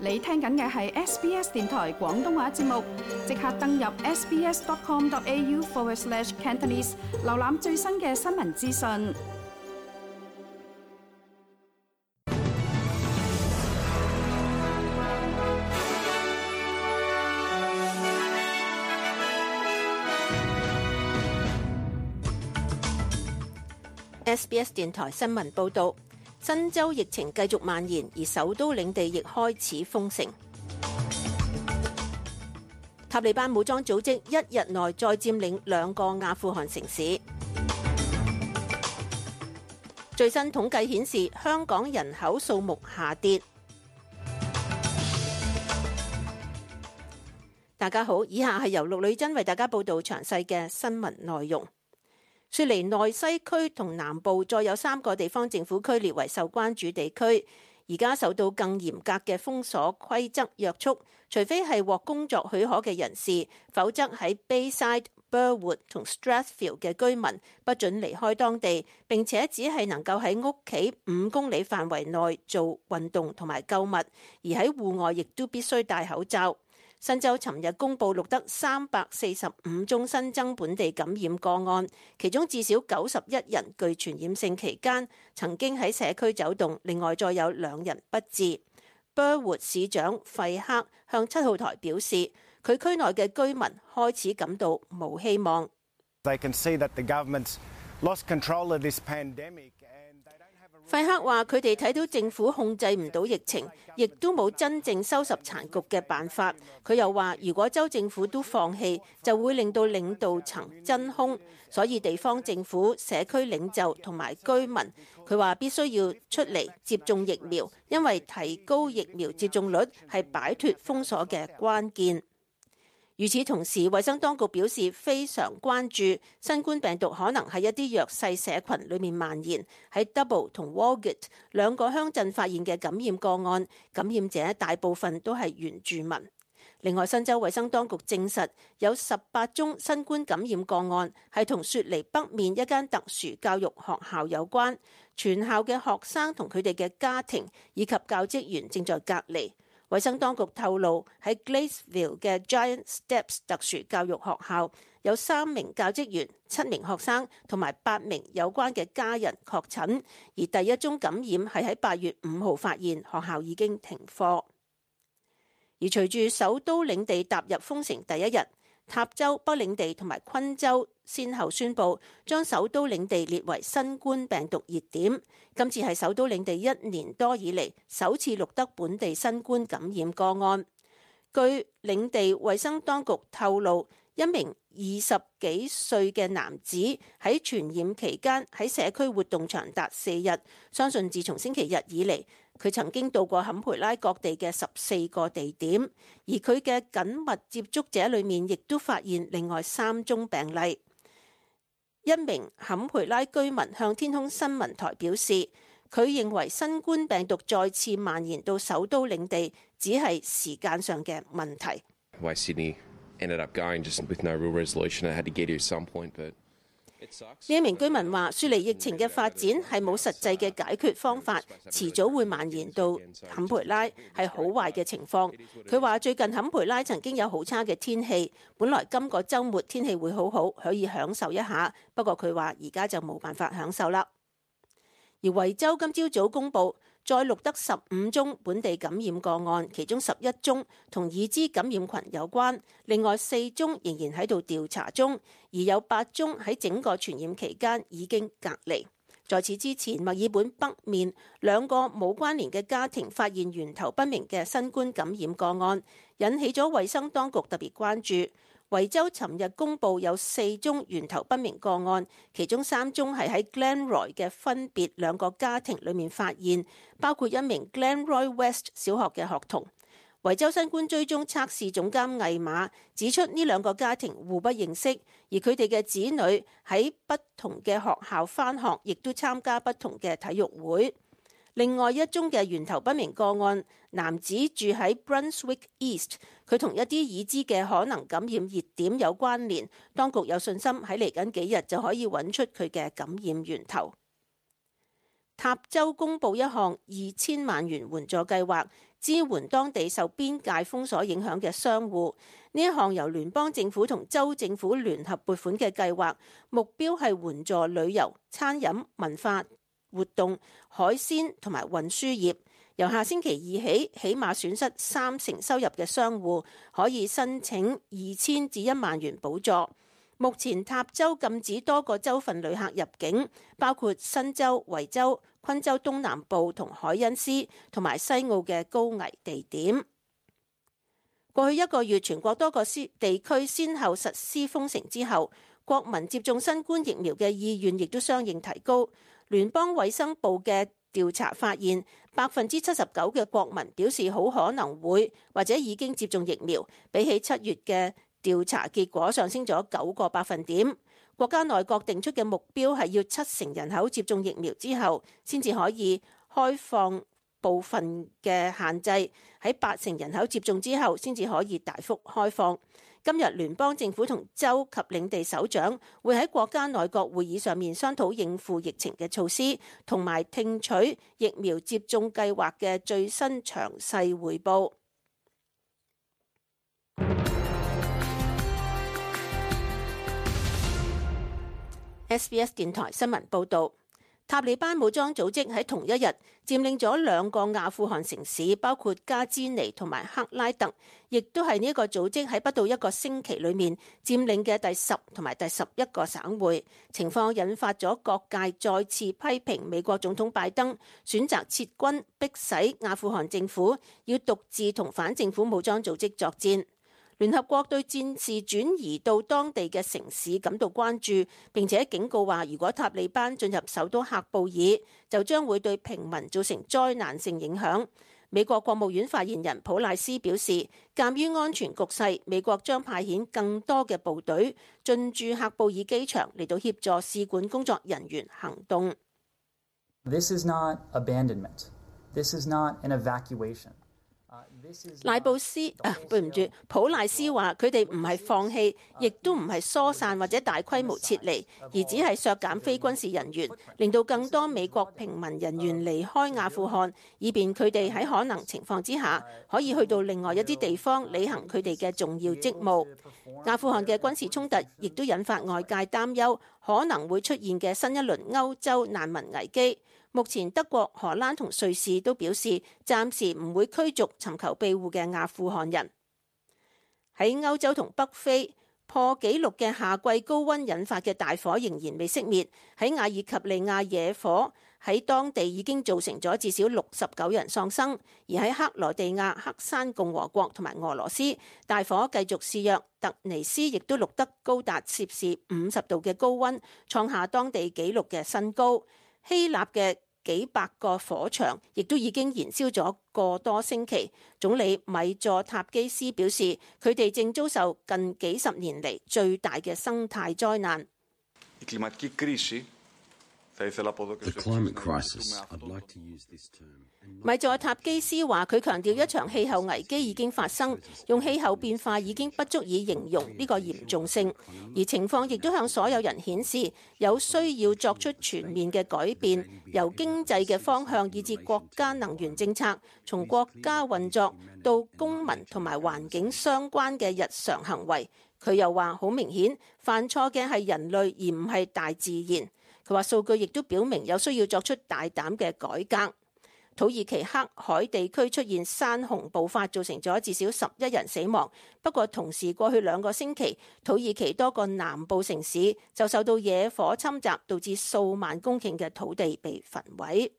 你聽緊嘅係 SBS 電台廣東話節目，即刻登入 sbs.com.au/Cantonese 瀏覽最新嘅新聞資訊。SBS 電台新聞報導。新州疫情繼續蔓延，而首都領地亦開始封城。塔利班武裝組織一日內再佔領2個阿富汗城市。最新統計顯示，香港人口數目下跌。大家好，以下係由陸女珍為大家報導詳細嘅新聞內容。雪梨內西區同南部再有3個地方政府區列為受關注地區，而家受到更嚴格嘅封鎖規則約束，除非係獲工作許可嘅人士，否則喺 Bayside、Burwood 同 Strathfield 嘅居民不准離開當地，並且只係能夠喺屋企5公里範圍內做運動同埋購物，而喺戶外亦都必須戴口罩。新州尋日公佈錄得345宗新增本地感染個案，其中至少91人具傳染性期間曾經喺社區走動，另外再有2人不治。Burwood 市長費克向7號台表示，佢區內嘅居民開始感到冇希望。They can see that the government's lost control of this pandemic. 費克話：佢哋睇到政府控制唔到疫情，亦都冇真正收拾殘局嘅辦法。佢又話：如果州政府都放棄，就會令到領導層真空。所以地方政府、社區領袖同埋居民，佢話必須要出嚟接種疫苗，因為提高疫苗接種率係擺脫封鎖嘅關鍵。與此同時，衛生當局表示非常關注新冠病毒可能喺一啲弱勢社群裏面蔓延。喺 Double 同 Walgett 2個鄉鎮發現嘅感染個案，感染者大部分都係原住民。另外，新州衛生當局證實有18宗新冠感染個案係同雪梨北面一間特殊教育學校有關，全校嘅學生同佢哋嘅家庭以及教職員正在隔離。衛生當局透露，喺 Gladesville 嘅 Giant Steps 特殊教育學校有3名教職員、7名學生同埋8名有關嘅家人確診，而第一宗感染係喺8月5號發現，學校已經停課。而隨住首都領地踏入封城第一日，塔州、北領地同埋昆州先後宣布將首都領地列為新冠病毒熱點。今次係首都領地1年多以嚟首次錄得本地新冠感染個案。據領地衛生當局透露，一名20幾歲嘅男子喺傳染期間喺社區活動長達4日，相信自從星期日以嚟，佢曾經到過坎培拉各地嘅14個地點，而佢嘅緊密接觸者裏面亦都發現另外3宗病例。一名坎培拉居民向天空新聞台表示，佢認為新冠病毒再次蔓延到首都領地只係時間上嘅問題。呢一名居民話：雪梨疫情嘅發展係冇實際嘅解決方法，遲早會蔓延到坎培拉，係好壞嘅情況。佢話最近坎培拉曾經有好差嘅天氣，本來今個週末天氣會好好，可以享受一下。不過佢話而家就冇辦法享受啦。而維州今朝早公佈，再錄得15宗本地感染個案，其中11宗同已知感染群有關，另外4宗仍然喺度調查中，而有8宗喺整個傳染期間已經隔離。在此之前，墨爾本北面2個冇關聯嘅家庭發現源頭不明嘅新冠感染個案，引起咗衛生當局特別關注。維州尋日公佈有4宗源頭不明個案，其中3宗係喺 Glenroy 嘅分別2個家庭裏面發現，包括一名 Glenroy West 小學嘅學童。維州新冠追蹤測試總監魏馬指出，呢2個家庭互不認識，而佢哋嘅子女喺不同嘅學校返學，亦都參加不同嘅體育會。另外一宗嘅源頭不明個案，男子住喺 Brunswick East， 佢同一啲已知嘅可能感染熱點有關聯，當局有信心喺嚟緊幾日就可以揾出佢嘅感染源頭。塔州公布一項2000萬元援助計劃，支援當地受邊界封鎖影響嘅商戶。呢一項由聯邦政府同州政府聯合撥款嘅計劃，目標係援助旅遊、餐飲、文化活動、海鮮同埋運輸業。由下星期二起，起碼損失30%收入嘅商戶可以申請2000至1萬元補助。目前塔州禁止多個州份旅客入境，包括新州、維州、昆州東南部同海恩斯同埋西澳嘅高危地點。過去1個月，全國多個地區先後實施封城之後，國民接種新冠疫苗嘅意願亦都相應提高。聯邦衛生部嘅調查發現，79%嘅國民表示好可能會或者已經接種疫苗，比起7月嘅調查結果上升咗9個百分點。國家內閣定出嘅目標係要70%人口接種疫苗之後，先至可以開放部分嘅限制，喺80%人口接種之後，先至可以大幅開放。今日聯邦政府同州及領地首長會喺國家內閣會議上面商討應付疫情嘅措施，同埋聽取疫苗接種計劃嘅最新詳細彙報。SBS 電台新聞報導。塔利班武裝組織喺同一日佔領咗2個阿富汗城市，包括加茲尼同埋克拉特，亦都係呢一個組織喺不到1個星期裏面佔領嘅第10同埋第11個省會。情況引發咗各界再次批評美國總統拜登選擇撤軍，迫使阿富汗政府要獨自同反政府武裝組織作戰。聯合國對戰事轉移到當地嘅城市感到關注，並且警告話，如果塔利班進入首都喀布爾，就將會對平民造成災難性影響。美國國務院發言人普賴斯表示，鑑於安全局勢，美國將派遣更多嘅部隊進駐喀布爾機場嚟到協助使館工作人員行動。This is not abandonment. This is not an evacuation.普賴斯話：佢哋唔係放棄，亦都唔係疏散或者大規模撤離，而只係削減非軍事人員，令到更多美國平民人員離開阿富汗，以便佢哋喺可能情況之下可以去到另外一啲地方履行佢哋嘅重要職務。阿富汗嘅軍事衝突亦都引發外界擔憂，可能會出現嘅新一輪歐洲難民危機。目前德國、荷蘭同瑞士都表示暫時唔會驅逐尋求庇護嘅阿富汗人。喺歐洲同北非，破紀錄嘅夏季高溫引發嘅大火仍然未熄滅。喺阿爾及利亞野火喺當地已經造成咗至少69人喪生，而喺克羅地亞、黑山共和國同埋俄羅斯，大火繼續肆虐。突尼斯亦都錄得高達攝氏50度嘅高溫，創下當地紀錄嘅新高。希臘嘅幾百個火場亦都已經燃燒咗個多星期。總理米佐塔基斯表示，佢哋正遭受近幾十年嚟最大嘅生態災難。米佐塔基斯話：佢強調一場氣候危機已經發生，用氣候變化已經不足以形容呢個嚴重性，而情況亦都向所有人顯示有需要作出全面嘅改變，由經濟嘅方向以至國家能源政策，從國家運作到公民同埋環境相關嘅日常行為。佢又話：好明顯，犯錯嘅係人類而唔係大自然。佢話數據亦都表明有需要作出大膽嘅改革。土耳其黑海地區出現山洪暴發，造成咗至少11人死亡。不過同時過去2個星期，土耳其多個南部城市就受到野火侵襲，導致數萬公頃嘅土地被焚毀。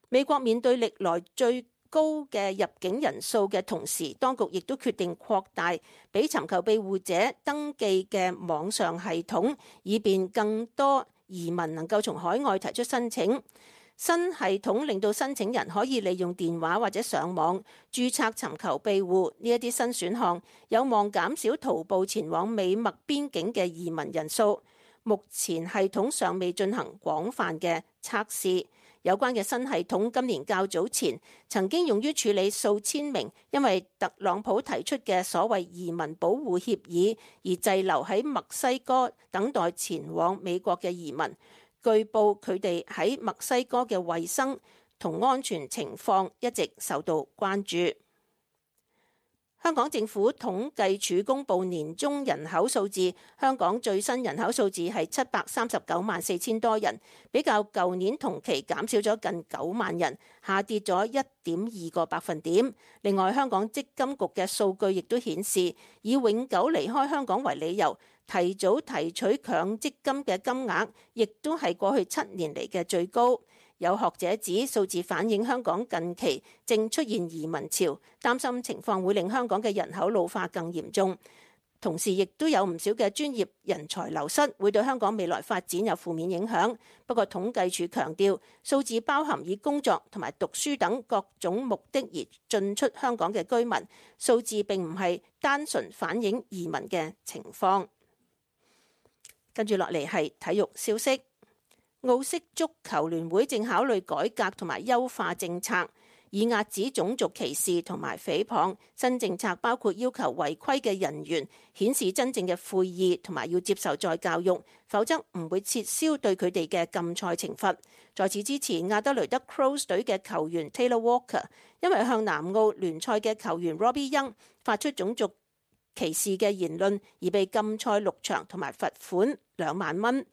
美國面對歷來最高嘅入境人數嘅同時，當局亦都決定擴大俾尋求庇護者登記嘅網上系統，以便更多移民能夠從海外提出申請。新系統令到申請人可以利用電話或者上網註冊尋求庇護，呢一啲新選項有望減少徒步前往美墨邊境嘅移民人數。目前系統尚未進行廣泛嘅測試。有關嘅新系統今年較早前曾經用於處理數千名因為特朗普提出嘅所謂移民保護協議而滯留喺墨西哥等待前往美國嘅移民。據報佢哋喺墨西哥嘅衛生同安全情況一直受到關注。香港政府統計處公布年中人口數字，香港最新人口數字係739萬4千多人，比較舊年同期減少咗近9萬人，下跌咗1.2個百分點。另外，香港積金局嘅數據亦都顯示，以永久離開香港為理由，提早提取強積金嘅金額，亦都係過去7年嚟嘅最高。有學者指數字反映香港近期正出現移民潮，擔心情況會令香港嘅人口老化更嚴重。同時，亦都有唔少嘅專業人才流失，會對香港未來發展有負面影響。不過統計處強調，數字包含以工作同埋讀書等各種目的而進出香港嘅居民，數字並唔係單純反映移民嘅情況。跟住落嚟係體育消息。澳式足球聯會正考慮改革同埋優化政策，以遏止種族歧視同埋誹謗。新政策包括要求違規嘅人員顯示真正嘅悔意，同埋要接受再教育，否則唔會撤銷對佢哋嘅禁賽懲罰。在此之前，亞德雷德 Crows 隊嘅球員 Taylor Walker 因為向南澳聯賽嘅球員 Robbie Young 發出種族歧視嘅言論，而被禁賽6場同埋罰款2萬蚊。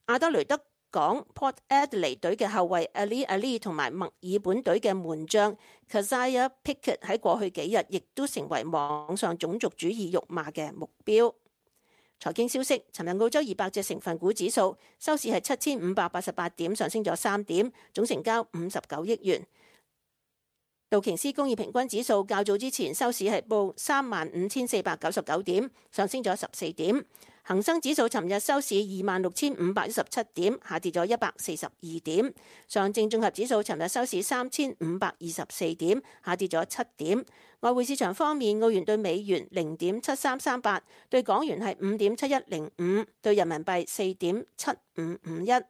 亞德雷德港 Port Adelaide 隊嘅後衛 Ali 同埋墨爾本隊嘅門將 Kazaya Pickett 喺過去幾日亦都成為網上種族主義辱罵嘅目標。財經消息，尋日澳洲200隻成分股指數收市係7588點，上升咗3點，總成交59億元。道瓊斯工業平均指數較早之前收市係報35,499點，上升咗14點。恒生指數尋日收市26,517點，下跌咗142點。上證綜合指數尋日收市3,524點，下跌咗7點。外匯市場方面，澳元對美元0.7338，對港元係5.7105，對人民幣4.7551。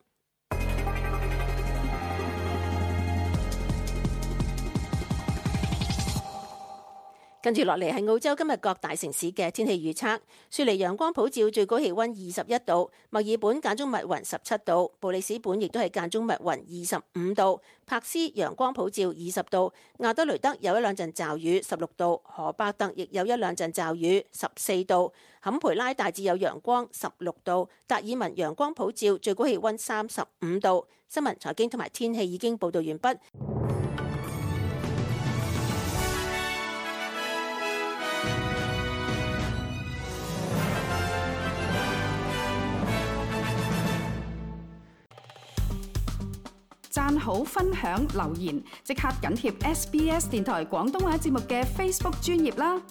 跟住落嚟係澳洲今日各大城市嘅天氣預測。雪梨陽光普照，最高氣溫21度；墨爾本間中密雲17度；布里斯本亦都係間中密雲25度；柏斯陽光普照20度；亞德雷德有一兩陣驟雨16度；荷伯特亦有一兩陣驟雨14度；坎培拉大致有陽光16度；達爾文陽光普照，最高氣溫35度。新聞、財經同埋天氣已經報道完畢。讚好、分享、留言，即刻緊貼SBS 電台廣東話節目嘅 Facebook 專頁啦！